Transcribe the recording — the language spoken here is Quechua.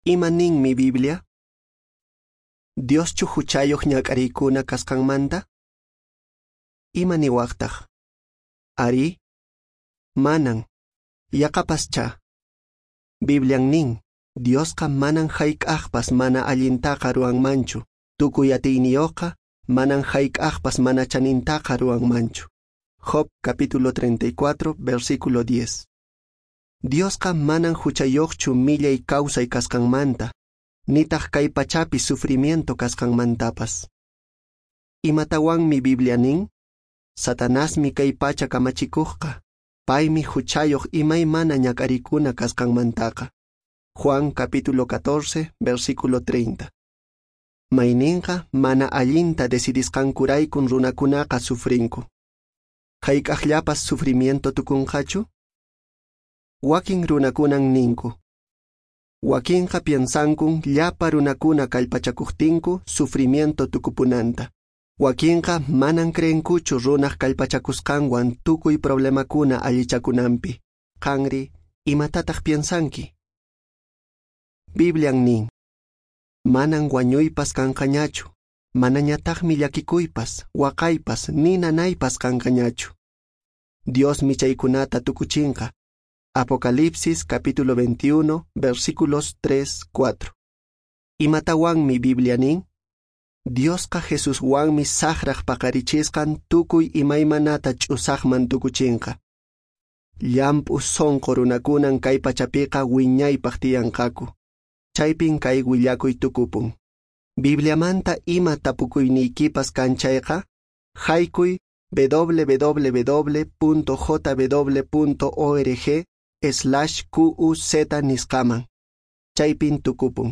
Ima ninmi Biblia? Dioschu huchayoq ñak'ariykuna kasqanmanta? Ima niwaqtaq? Arí, manan, yaqapaschá. Biblian nin, Diosqa manan hayk'aqpas mana allintaqa ruwanmanchu, tukuy atiyniyuqqa manan hayk'aqpas mana chanintaqa ruwanmanchu. Job capítulo 34, versículo 10. Diosqa manan huchayoqchu millay kawsay kasqanmanta, nitaq kay pachapi sufrimiento kasqanmantapas. Imatawanmi Biblia nin? Satanasmi kay pacha kamachikuqqa, paymi huchayoq imaymana ñak'arikuna kasqanmantaqa. Juan capítulo 14, versículo 30. Mayninqa mana allinta decidisqankuraykun runakunaqa sufrinku. Hayk'aqllapas sufrimiento tukunqachu? Wakin runakunan ninku. Wakinqa piensankun llapa runakuna kallpachakuqtinku sufrimiento tukupunanta. Wakinqa manan creenkuchu runaq kallpachakusqanwan tukuy problemakuna allichakunanpi. Qanri, imatataq piensanki? Biblian nin. Manan wañuypas kanqañachu, manañataqmi llakikuypas, waqaypas, ni nanaypas kanqañachu. Diosmi chaykunata tukuchinqa. Apocalipsis capítulo 21, versículos 3, 4. Imatawanmi Biblia nin? Diosqa Jesuswanmi saqraq paqarichisqan tukuy imaymanata ch'usaqman tukuchinqa. Llamp'u sunqu runakunan kay pachapiqa wiñaypaq tiyanqaku. Chaypin kay willakuy tukupun. Bibliamanta ima tapukuyniykipas kan chayqa, haykuy www.jw.org/quz nisqaman. Chaypin tukupun.